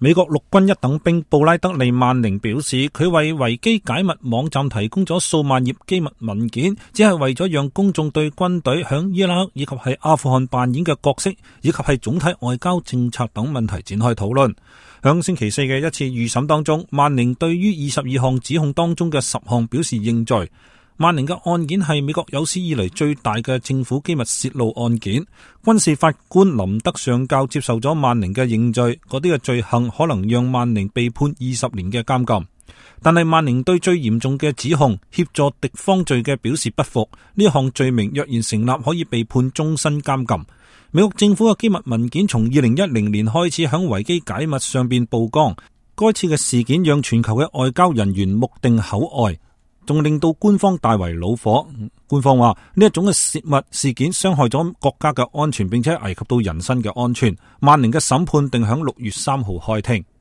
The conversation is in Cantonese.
美國陸軍一等兵布拉德利·曼寧表示，佢為維基解密網站提供咗數萬頁機密文件，只係為咗讓公眾對軍隊響伊拉克以及係阿富汗扮演嘅角色，以及係總體外交政策等問題展開討論。響星期四嘅一次預審當中，曼寧對於22項指控當中嘅10項表示認罪。曼寧嘅案件係美國有史以嚟最大嘅政府機密洩露案件。軍事法官林德上校接受咗曼寧嘅認罪，嗰啲嘅罪行可能讓曼寧被判20年嘅監禁。但係曼寧對最嚴重嘅指控協助敵方罪嘅表示不服，呢項罪名若然成立，可以被判終身監禁。美國政府嘅機密文件從2010年開始響維基解密上邊曝光，該次嘅事件讓全球嘅外交人員目定口呆，仲令到官方大為惱火。官方話呢一種嘅泄密事件傷害咗國家嘅安全，並且危及到人身嘅安全。曼寧嘅審判定響6月3號開庭。